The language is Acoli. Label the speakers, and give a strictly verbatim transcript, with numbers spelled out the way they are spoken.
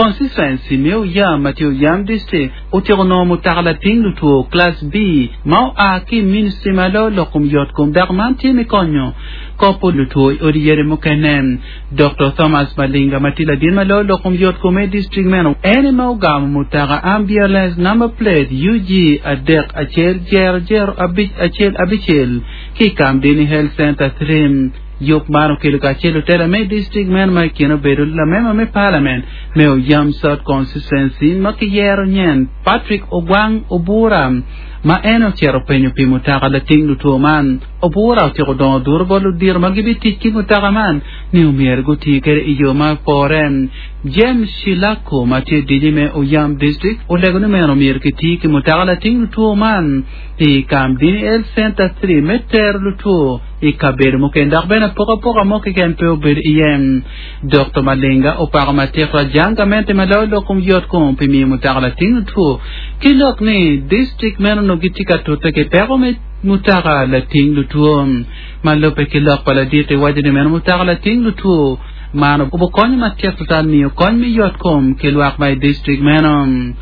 Speaker 1: Constituency me Oyam ma tye Oyam District otyeko nongo mutoka lating lutwo Class B ma oa ki ministry ma loyo lok kom yot kom dok man tye me konyo kopo lutwo i odi yadi mukene. Doctor Thomas Malinga ma tye ladit ma loyo lok kom yot kom i district meno en ema ogamo mutoka ambulance number plate U G adek acel zero zero abic acel abicel ki i Kamdini Health Center three. Yub man okelo kacel lutela me district meno ma i kine obedo lamemba me parliament me Oyam South Constituency ma kiyero nyen Patrick Ogwang Obura ma en ocito penyo pi mutoka lating lutwo man. Obura otyeko dongo duro bot ludito ma gibitic ki mutoka man ni omyero guti kede i yo ma opore. James Shilako ma tye diji me Oyam District olego ni meno omyero kiti ki mutoka lating lutwo man i Kamdini Health Center three me tero lutwo i kabedo mukene dok bene apokapoka mo keken pe obedo iye. Doctor Malinga opako matek rajang gamente ma loyo lok kom yot kom pi miyo mutoka lating lutwo ki lok ni district meno onongo gitye ka tute ki peko me mutoka lating lutwo ma lubbe ki lok pa ladit iwaco ni meno mutoka lating lutwo man obokonyo matek twatwal miyo kony me yot kom ki lwak ma i district meno.